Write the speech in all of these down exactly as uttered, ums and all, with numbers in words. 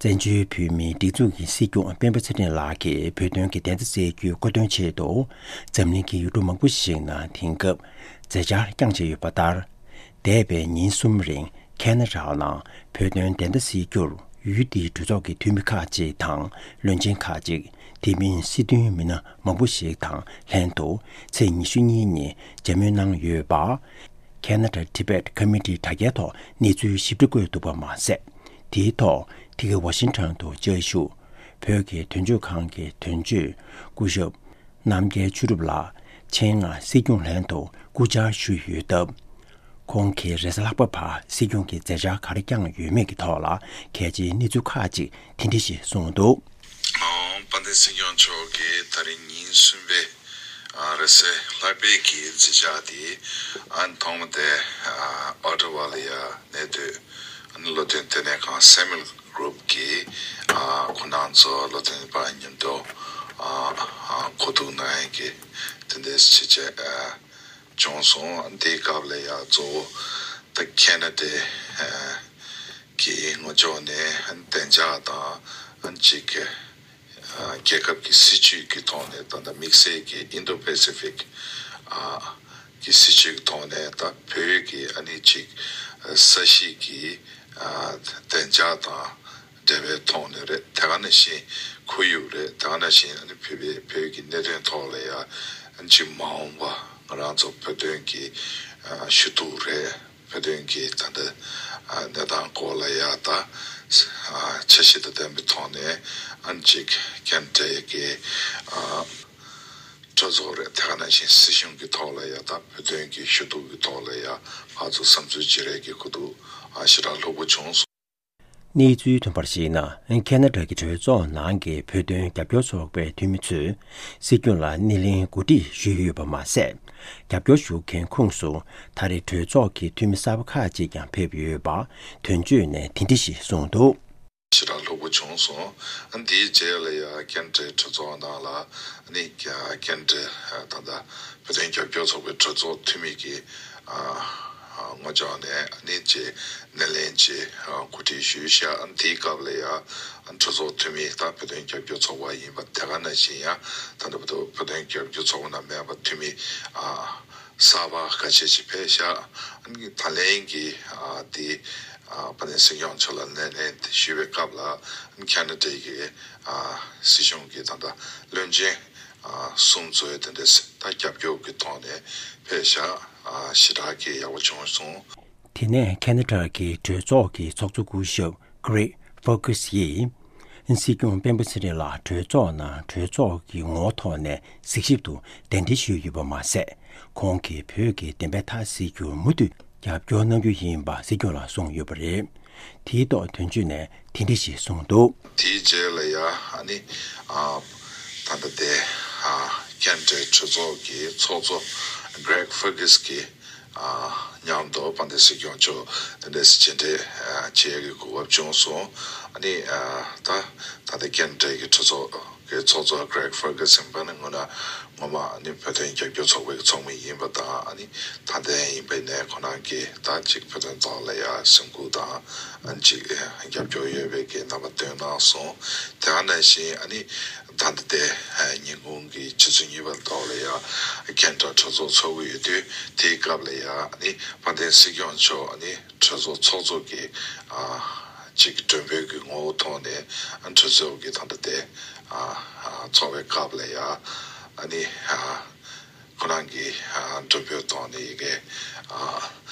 བཙན་བྱོལ་བོད་མིའི་སྒྲིག་འཛུགས་ཀྱི་སྲིད་སྐྱོང་སྤེན་པ་ཚེ་རིང་ལགས་ཀྱིས་བོད་དོན་གྱི་བདེན་མཐའ་གསལ་རྒྱུའི་གོ་སྟོན་ཆེད་དུ། འཛམ་གླིང་གི་ཡུལ་གྲུ་མང་པོ་ཞིག་ནང་དེང་སྐབས་མཛད་འཆར་བསྐྱངས་བཞིན་ཡོད་པ་ལྟར། འདས་པའི་ཉིན་གསུམ་རིང་ཁེ་ན་ཌ་ནང་བོད་དོན་བདེན་མཐའ་གསལ་རྒྱུར་ཡུལ་དེའི་གྲོས་ཚོགས་ཀྱི་འཐུས་མི་ཁག་ཅིག་དང་། བློན་ཆེན་ཁག་ཅིག་དེ་མིན་སྲིད་དོན་མི་སྣ་མང་པོ་ཞིག་དང་ལྷན་དུ་ཚེས་ཉི་ཤུ་གཉིས་ཉིན་མཇལ་མོལ་གནང་ཡོད་པ། Canada Tibet Committee དྲ་རྒྱའི་ཐོག་གནས་ཚུལ་ཞིབ་ཕྲ་བཀོད་འདུག་པ་མ་ཟད། དེའི་ཐོག་འདི་གའི་ཝ་ཤིང་ཊོན་དུ་བཅའ་བཞུགས་བོད་ཀྱི་དོན་གཅོད་ཁང་གི་དོན་གཅོད་སྐུ་ཞབས་རྣམ་རྒྱལ་ཆོས་གྲུབ་ལགས་ཆེད་མངགས་སྲིད་སྐྱོང་ལྷན་དུ་སྐུ་བཅར་ཞུས་ཡོད་སྟབས། ཁོང་གིས་རེས་གཟའ་ལྷག་པ་བར་སྲིད་སྐྱོང་གི་མཛད་འཆར་ག་རེ་བསྐྱངས་ཡོད་མེད་ཀྱི་ཐོག་ལ་གལ་ཆེའི་གནས་ཚུལ་ཁག་ཅིག་དེ་འདྲ་ཞིག་གསུངས་འདུག། ཨོ། དཔལ་ལྡན་སྲིད་སྐྱོང་མཆོག་གིས་ད་རིང་ཉིན་གསུམ་པའི་ཨ་རེས་གཟའ་ལྷག་པའི་གི་མཛད་འཆར་དེ་ཨ་ཐོག་མ་དེ་ཨ་ཨོ་ཊ་ཝ་ལ་ཡ་གནས་སྡོད་ཨ་ནི་བློ་མཐུན་ལྟེ་གནས་ཁང་སེ་མུ་ཨེལ་གྷ་རུབ་ཀྱི་ཨ་ཁོང་རྣམ་ཚོ་བློ་མཐུན་པ་མཉམ་དུ་ཨ་ཨ་གོ་བསྡུར་གནང་ཡས་ཀྱི་དེ་འདྲའི་ཆེད་བྱས་ཨ་བྱུང་སོང་། དེའི་སྐབས་ལ་ཡ་གཙོ་བོ་ད་ཁེ་ན་ཌའི་ཨ་གི་ངོས་ཕྱོགས་ནས་བདེ་འཇགས་དང་ཨ་ཅིག་གི་ཨ་རྒྱལ་ཁབ་ཀྱི་སྲིད་བྱུས་ཀྱི་ཐོག་ནས་ད་ལྟ་དམིགས་བསལ་གྱི་ཨིན་ཌོ་པེ་སི་ཕིག་ཨ་གི་སྲིད་བྱུས་ཀྱི་ཐོག་ནས་ད་བོད་ཀྱི་ཨ་ནི་ཅིག་ས་གཞི་གི་ཨ་བདེ་འཇགས་དང་འབྲེལ་བའི་ཐོག་ནས་རེད། དེ་ག་ནང་བཞིན་ཁོར་ཡུག་རེད། དེ་ག་ནང་བཞིན་ཨ་ནི་བོད་པའི་བོད་ཀྱི་གནད་དོན་ཐོག་ལ་ཡ་ཨ་ནི་ཅིག་མ་འོངས་པ་ང་རང་ཚོ་བོད་དོན་གྱི་ཨ་ཞུ་གཏུག་རེད། བོད་དོན་གྱི་ད་ལྟ་ཨ་གནས་སྟངས་སྐོར་ལ་ཡ་ད་ཨ་འཆར་གཞི་དང་ལྡན་པའི་ཐོག་ནས་ཨ་ནི་ཅིག་ཁེ་ན་ཌ་གི་ཨ་གྲོས་ཚོགས་རེད། དེ་ག་ནང་བཞིན་སྲིད་གཞུང་གི་ཐོག་ལ་ཡ་ད་བོད་དོན་གྱི་ཞུ་གཏུག་གི་ཐོག་ལ་ཡ་ཕར་ཚུར་བསམ་ཚུལ་བརྗེ་རེས་ཀྱི་གོ་བསྡུར་ཨ་ཞེ་དྲག་ལྷུག་པོ་བྱུང་སོང་། གནས་ཚུལ་ཐོན་པར་གཞིགས་ན། ཁེ་ན་ཌ་གི་གྲོས་ཚོགས་ནང་གི་བོད་དོན་རྒྱབ་སྐྱོར་ཚོགས་པའི་འཐུས་མི་ཚོས་སྲིད་སྐྱོང་ལ་སྣེ་ལེན་གོ་སྒྲིག་ཞུས་ཡོད་པ་མ་ཟད། རྒྱབ་སྐྱོར་ཞུ་མཁན་ཁོངས་སུ་ད་རེས་གྲོས་ཚོགས་ཀྱི་འཐུས་མི་གསར་པ་ཁག་ཅིག་ཀྱང་ཕེབས་ཡོད་པ་དོན་གཅོད་ནས་དེ་འདྲ་ཞིག་གསུངས་འདུག། ཞེ་དྲག་ལྷུག་པོ་བྱུང་སོང་། ཨ་འདིའི་རྗེས་ལ་ཡ་ཁེ་ན་ཌའི་གྲོས་ཚོགས་ནང་ལ་ཨ་ནི་ཁེ་ན་ཌའི་ད་ལྟ་བོད་དོན་རྒྱབ་སྐྱོར་ཚོགས་པའི་གྲོས་ཚོགས་འཐུས་མི་གི་ཨ་ངོས་ཕྱོགས་ནས་ཨ་ནི་ཅེ་སྣེ་ལེན་ཅེ་གོ་སྒྲིག་ཞུས་ཤག། ཨ་དེའི་སྐབས་ལ་ཡ་གྲོས་ཚོགས་འཐུས་མི་ད་བོད་དོན་རྒྱབ་སྐྱོར་ཚོགས་པ་ཡིན་པ་དེ་ག་ནང་བཞིན་ཡ་ད་ལྟ་བོད་དོན་རྒྱབ་སྐྱོར་ཚོགས་པ་ནང་མེད་པ་འཐུས་མི་ཨ་གསར་པ་ཁ་ཤས་ཤིག་ཕེབས་ཤག། ཨ་ནི་ད་ལན་གྱི་ཨ་དེ་ཨ་དཔལ་ལྡན་སྲིད་སྐྱོང་མཆོག་ལ་སྣེ་ལེན་ཞུས་པའི་སྐབས་ལ་ཨ་ནི་ཁེ་ན་ཌའི་གི་ཨ་སྲིད་གཞུང་གི་ད་ལྟ་བློན་ཆེན་ཨ་གསུམ་ཚོས་དེ་འདྲས་ད་རྒྱབ་སྐྱོར་གྱི་ཐོག་ནས་ཕེབས་ཤག། ཨ་ཞེ་དྲག་གི་ཡག་པོ་བྱུང་སོང་། དེ་ནས་ཁེ་ན་ཌ་གི་གྲོས་ཚོགས་ཀྱི་ཚོགས་གཙོ་སྐུ་ཞབས་Greg Fergus ཡིས། སྲིད་སྐྱོང་སྤེན་པ་ཚེ་རིང་ལགས་གྲོས་ཚོགས་ནང་གྲོས་ཚོགས་ཀྱི་ངོ་བོ་ཐོག་ནས་གཟིགས་ཞིབ་ཏུ་གདན་འདྲེན་ཞུས་ཡོད་པ་མ་ཟད། ཁོང་གིས་བོད་ཀྱི་བདེན་པའི་མཐའ་གསལ་རྒྱུར་མུ་མཐུད་རྒྱབ་སྐྱོར་གནང་རྒྱུ་ཡིན་པ་སྲིད་སྐྱོང་ལ་གསུངས་ཡོད་པ་རེད། དེའི་ཐོག་དོན་གཅོད་ནས་དེ་འདྲ་ཞིག་གསུངས་འདུག། དེའི་རྗེས་ལ་ཡ་ཨ་ནི་ཨ་ད་ལྟ་དེ་ཨ་ཁེ་ན་ཌའི་གྲོས་ཚོགས་ཀྱི་ཚོགས་གཙོ་Greg Fergus གིས་ཨ་མཉམ་དུ་དཔལ་ལྡན་སྲིད་སྐྱོང་མཆོག་དེ་འདྲ་ཞིག་མཇལ་འཕྲད་ཨ་བྱེད་ཡག་གི་གོ་སྐབས་བྱུང་སོང་། ཨ་ནི་ཨ་ད་ད་ལྟ་ཁེ་ན་ཌའི་གི་གྲོས་ཚོགས་གི་ཚོགས་གཙོ་Greg Fergus ཡིན་པ་ནི་སྔོན་ན་ངོ་མ་ཨ་ནི་བོད་དོན་རྒྱབ་སྐྱོར་ཚོགས་པའི་ཚོགས་མི་ཡིན་པ་དང་། ཨ་ནི་ད་ལྟ་ཡིན་པ་ནས་ཁོ་རང་གིས་ད་ཅིག་བོད་དོན་ཐོག་ལ་ཡ་སེམས་ཁུར་དང་ཨ་ནི་ཅིག་རྒྱབ་སྐྱོར་ཡོད་པའི་གི་རྣམ་པ་སྟོན་གནང་སོང་། དེ་ག་ནང་བཞིན་ཨ་ནི་ད་ལྟ་དེ་ཉིན་གུང་གི་ཆུ་ཚོད་གཉིས་པ་ཐོག་ལ་ཡ་ཁེ་ན་ཌ་གྲོས་ཚོགས་ཚོགས་ཀྱི་ཡོད་དུས། དེའི་སྐབས་ལ་ཡ་ཨ་ནི་དཔལ་ལྡན་སྲིད་སྐྱོང་མཆོག་ཨ་ནི་གྲོས་ཚོགས་ཚོགས་གཙོ་གི་ཨ་ཅིག་མགྲོན་འབོད་ཀྱི་ངོ་བོ་ཐོག་ནས་ཨ་གྲོས་ཚོགས་ཀྱི་ད་ལྟ་དེ་ཨ་ཨ་ཚོགས་པའི་སྐབས་ལ་ཡ་ཨ་ནི་ཨ་ཁོ་རང་གི་ཨ་མགྲོན་འབོད་ཐོག་ནས་ཡི་གེ་ཨ་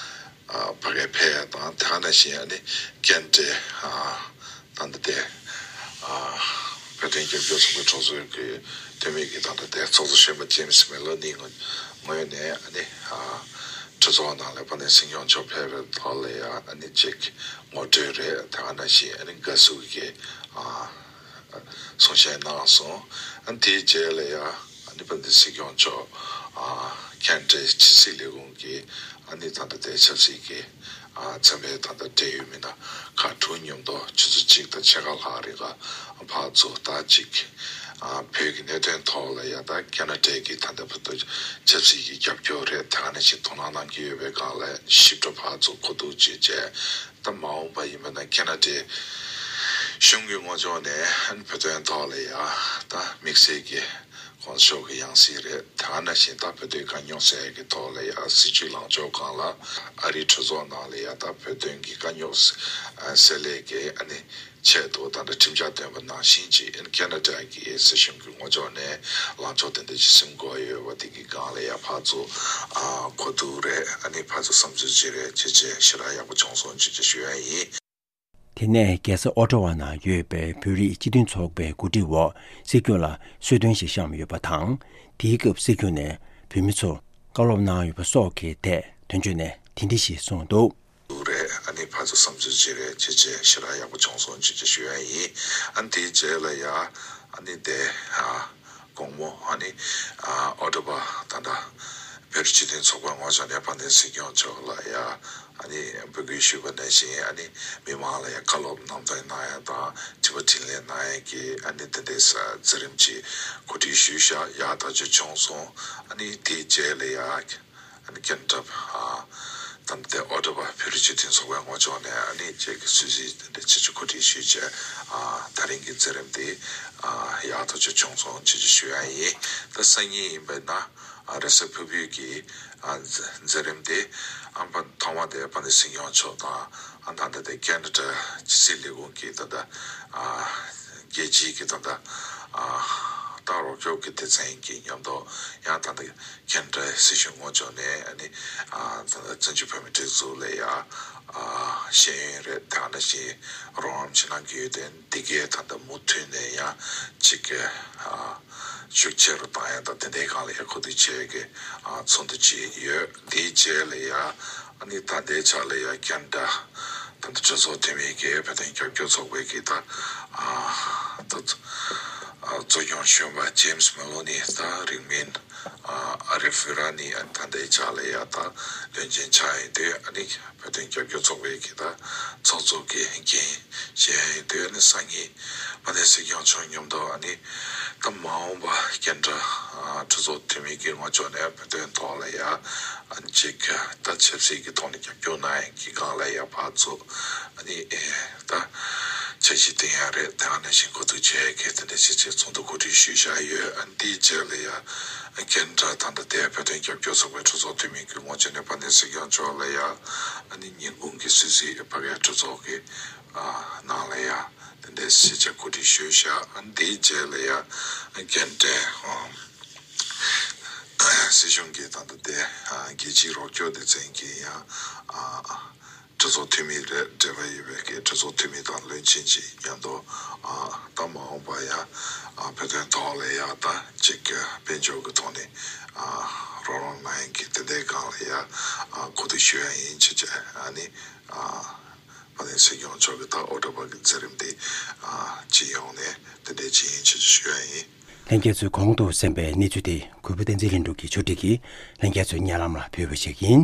ཨ་ཕ་གིར་ཕེབས་ཡ་དང་། དེ་ག་ནང་བཞིན་ཨ་ནི་ཁེ་ན་ཌའི་ཨ་ད་ལྟ་དེ་ཨ་བོད་དོན་རྒྱབ་སྐྱོར་ཚོགས་པའི་གྲོས་ཚོགས་ཀྱི་འཐུས་མི་གི་ད་ལྟ་དེ་ཚོགས་གཙོ་གཞོན་པ་James Maloney ངོས་ནས་ཨ་ནི་ཨ་གྲོས་ཚོགས་ནང་ལ་དཔལ་ལྡན་སྲིད་སྐྱོང་མཆོག་ཕེབས་པའི་ཐོག་ལ་ཡ་ཨ་ནི་ཅིག་ངོ་སྤྲོད་རེད། དེ་ག་ནང་བཞིན་ཨ་ནི་དགའ་བསུ་གི་ཨ་གསུང་བཤད་གནང་སོང་། ཨ་ནི་དེའི་རྗེས་ལ་ཡ་ཨ་ནི་དཔལ་ལྡན་སྲིད་སྐྱོང་མཆོག་ཨ་ཁེ་ན་ཌའི་ཕྱི་སྲིད་ལས་ཁུངས་ཀྱི་ཨ་ནི་ད་ལྟ་དེ་ཆབ་སྲིད་ཀྱི་ཨ་འཚམས་པའི་ད་ལྟ་འབྲེལ་ཡོད་མི་སྣ་ཁག་དྲུག་མཉམ་དུ་ཆུ་ཚོད་གཅིག་དང་ཕྱེད་ཀ་ལྷག་རིང་ག་ཕར་ཚུར་ད་ཅིག་ཨ་བོད་ཀྱི་གནད་དོན་ཐོག་ལ་ཡ་ད་ཁེ་ན་ཌའི་གི་ད་ལྟ་བར་དུ་ཆབ་སྲིད་ཀྱི་རྒྱབ་སྐྱོར་རེད། དེ་ག་ནང་བཞིན་དོ་སྣང་གནང་གི་ཡོད་པའི་སྒང་ལ་ཞིབ་ཕྲ་ཕར་ཚུར་གོ་བསྡུར་བྱས་རྗེས། ད་མ་འོངས་པ་ཡིན་པ་ན་ཁེ་ན་ཌའི་ གཞུང་གི་ངོས་ཕྱོགས་ནས་བོད་དོན་ཐོག་ལ་ཡ་ད་དམིགས་བསལ་གྱི་གོང་ཞུས་ཀྱི་ཡང་སྲིད་རེད། དེ་ནང་བཞིན་ད་བོད་དོན་དཀའ་རྙོག་སེལ་ཡག་གི་ཐོག་ལ་ཡ་སྲིད་བྱུས་ལངས་ཕྱོགས་སྒང་ལ་ཨ་རིའི་གྲོས་ཚོགས་ནང་ལ་ཡ་ད་བོད་དོན་གྱི་དཀའ་རྙོག་སེལ་ཡག་གི་ཨ་ནི་ཆེད་དུ་ད་ལྟ་ཁྲིམས་འཆར་བཏོན་པ་ནང་བཞིན་གྱི་ཨ་ནི་ཁེ་ན་ཌ་གི་སྲིད་གཞུང་གི་ངོས་ཕྱོགས་ནས་ལངས་ཕྱོགས་དེ་འདྲ་ཅིག་སེམས་ཁུར་ཡོད་པ་དེ་གི་སྒང་ལ་ཡ་ཕར་ཚུར་ཨ་གོ་བསྡུར་རེད། ཨ་ནི་ཕར་ཚུར་བསམ་ཚུལ་བརྗེ་རེས་བྱས་བྱས་ཞེ་དྲག་ཡག་པོ་བྱུང་སོང་ཅེས་ཞུ་ཡ་ཡིན། དེ་ནས་རྒྱལ་ས་ཨོ་ཊ་ཝ་ནང་ཡོད་པའི་བོད་རིགས་སྤྱི་མཐུན་ཚོགས་པའི་འགོ་ཁྲིད་འོག་སྲིད་སྐྱོང་ལ་གསོལ་སྟོན་ཞིག་བཤམས་ཡོད་པ་དང་། དེའི་སྐབས་སྲིད་སྐྱོང་ནས་བོད་མི་ཚོར་བཀའ་སློབ་གནང་ཡོད་པ་སོགས་ཀྱི་ཐད་དོན་གཅོད་ནས་དེ་འདྲ་ཞིག་གསུངས་འདུག། འདུག་རེད། ཨ་ནི་ཕར་ཚུར་བསམ་ཚུལ་བརྗེ་རེས་བྱས་བྱས་ཞེ་དྲག་ཡག་པོ་བྱུང་སོང་ཅེས་ཞུ་ཡ་ཡིན། ཨ་ནི་དེའི་རྗེས་ལ་ཡ་ཨ་ནི་དེ་ཨ་དགོང་མོ་ཨ་ནི་ཨ་ཨོ་ཊ་ཝ་ད་ལྟ་བོད་རིགས་སྤྱི་མཐུན་ཚོགས་པའི་ངོས་ཕྱོགས་ནས་དཔལ་ལྡན་སྲིད་སྐྱོང་མཆོག་ལ་ཡ་ཨ་ནི་འབོད་སྐུལ་ཞུས་པ་ནང་བཞིན་ཨ་ནི་མི་མང་ལ་ཡ་བཀའ་སློབ་ནང་དོན་གནང་ཡ་དང་དྲི་བ་དྲིས་ལན་གནང་ཡ་གི་ཨ་ནི་དེ་འདྲའི་ས་མཛད་རིམ་ཅིག་གོ་སྒྲིག་ཞུས་ཤག། ཡག་ཐག་ཆོད་བྱུང་སོང་། ཨ་ནི་དེའི་རྗེས་ལ་ཡ་ཨ་ནི་ཁེ་ན་ཌ་ཨ་ད་ལྟ་ཨོ་ཊ་ཝ་བོད་རིགས་སྤྱི་མཐུན་ཚོགས་པའི་ངོས་ཕྱོགས་ནས་ཨ་ནི་ཅིག་གི་གསོལ་ཚིགས་དེ་འདྲ་ཅིག་གོ་སྒྲིག་ཞུས་བྱས། ཨ་ད་རིང་གི་མཛད་རིམ་དེ་ཨ་ཡག་ཐག་ཆོད་བྱུང་སོང་ཅེས་ཞུ་ཡ་ཡིན། ད་སང་ཉིན་ཡིན་པས་ན་ཨ་རེས་གཟའ་ཕུར་བུའི་གི་ཨ་མཛད་རིམ་དེ་ཨ་ཕ་ཐོག་མ་དེ་དཔལ་ལྡན་སྲིད་སྐྱོང་མཆོག་དང་ཨ་ད་ལྟ་དེ་ཁེ་ན་ཌ་ཕྱི་སྲིད་ལས་ཁུངས་ཀྱི་ད་ལྟ་ཨ་རྒྱལ་སྤྱིའི་གི་ད་ལྟ་ཨ་ད་རོགས་སྐྱོབ་ཀྱི་སྡེ་ཚན་གྱི་མཉམ་དུ་ཡང་ད་ལྟ་ཁེ་ན་ཌ་སྲིད་གཞུང་ངོས་ཕྱོགས་ནས་ཨ་ནི་ཨ་ད་ལྟ་བཙན་བྱོལ་བོད་མིའི་སྒྲིག་འཛུགས་ལ་ཡ་ཨ་ཤེས་ཡོན་རེད། དེ་ནང་བཞིན་རོགས་རམ་བྱེད་གནང་གི་ཡོད་དེ། འདི་གའི་ད་ལྟ་མུ་མཐུད་ནས་ཡང་ཅིག་གི་ཨ་ཤུགས་ཆེ་རུ་བཏང་ཡ་དང་དེ་འདྲའི་སྒང་ལ་ཡ་གོ་བསྡུར་བྱེད་ཀྱི་ཨ་ཚོགས་འདུ་ཅིག་ཡོད། དེའི་རྗེས་ལ་ཡ་ཨ་ནི་ད་ལྟའི་ཆ་ལ་ཡ་ཁེ་ན་ཌ་ད་ལྟ་གྲོས་ཚོགས་འཐུས་མི་གི་བོད་དོན་རྒྱབ་སྐྱོར་ཚོགས་པའི་གི་ད་ཨ་ད་ཨ་གཙོ་སྐྱོང་གཞོན་པ་ཇེམ་སི་མེ་ལོ་ནི་ད་རིང་མིན་ཨ་ཨ་རི་ཧྥི་ར་ནི་ཨ་ད་ལྟའི་ཆ་ལ་ཡ་ད་བློན་ཆེན་ཆགས་ཡོད་དུས་ཨ་ནི་བོད་དོན་རྒྱབ་སྐྱོར་ཚོགས་པའི་གི་ད་ཚོགས་གཙོ་གི་འགན་བཞེས་ཡོད་དུས་ཨ་ནི་སང་ཉིན་དཔལ་ལྡན་སྲིད་སྐྱོང་མཆོག་མཉམ་དུ་ཨ་ནི་ད་མ་འོངས་པ་ཁེ་ན་ཌ་ཨ་གྲོས་ཚོགས་འཐུས་མི་གི་ངོས་ཕྱོགས་ནས་བོད་དོན་ཐོག་ལ་ཡ་ཨ་ནི་ཅིག་ད་ཆབ་སྲིད་ཀྱི་ཐོག་ནས་རྒྱབ་སྐྱོར་གནང་ཡ་གི་སྒང་ལ་ཡ་ཕར་ཚུར་ཨ་ནི་ཨེ་ད་འཆར་གཞི་བཏིང་ཡ་རེད། དེ་ནང་བཞིན་གོ་བསྡུར་བྱས་ཡ་གི་དེ་འདྲ་བྱས་བྱས་ཚོགས་འདུ་གོ་སྒྲིག་ཞུས་བཞག་ཡོད། ཨ་ནི་དེའི་རྗེས་ལ་ཡ་ཁེ་ན་ཌ་ད་ལྟ་དེ་བོད་དོན་རྒྱབ་སྐྱོར་ཚོགས་པའི་གྲོས་ཚོགས་འཐུས་མི་གི་ངོས་ཕྱོགས་ནས་དཔལ་ལྡན་སྲིད་སྐྱོང་མཆོག་ལ་ཡ་ཨ་ནི་ཉིན་གུང་གི་གསོལ་ཚིགས་ཕ་གིའི་གྲོས་ཚོགས་ཀྱི་ཨ་ནང་ལ་ཡ་དེ་འདྲའི་ཞིབ་ཆ་གོ་སྒྲིག་ཞུས་བཞག། ཨ་ནི་དེའི་རྗེས་ལ་ཡ་ཨ་ནི་ཁེ་ན་ཌའི་ཨ་སྲིད་གཞུང་གི་ད་ལྟ་དེ་ཨ་རྒྱལ་སྤྱིའི་རོགས་སྐྱོར་སྡེ་ཚན་གྱི་ཡང་ཨ་གྲོས་ཚོགས་འཐུས་མི་རེད། འབྲེལ་བ་ཡོད་པའི་གི་གྲོས་ཚོགས་འཐུས་མི་དང་བློན་ཆེན་གྱིས་མཉམ་དུ་ཨ་ད་མ་འོངས་པ་ཡ་ཨ་བོད་དོན་ཐོག་ལ་ཡ་ད་ཅིག་གི་དཔལ་འབྱོར་གྱི་ཐོག་ནས་ཨ་རོགས་རམ་གནང་ཡ་གི་དེ་འདྲའི་སྒང་ལ་ཡ་ཨ་གོ་བསྡུར་ཞུ་ཡ་ཡིན་ཅེས་བྱས། ཨ་ནི་ཨ་དཔལ་ལྡན་སྲིད་སྐྱོང་མཆོག་གི་ད་ཨོ་ཊ་ཝ་གི་མཛད་རིམ་དེ་ཨ་སྤྱི་ཡོངས་ནས་དེ་འདྲའི་ཅིག་ཡིན་ཅེས་ཞུ་ཡ་ཡིན། ལྷན་རྒྱས་ཚོས་གོང་དུ་གསན་པའི་གནས་ཚུལ་དེ་གུས་པ་བསྟན་འཛིན་ལྷུན་གྲུབ་ཀྱིས་ཕྱོགས་སྒྲིག་གིས་ལྷན་རྒྱས་ཚོའི་སྙན་ལམ་ལ་ཕུལ་བ་ཞིག་ཡིན།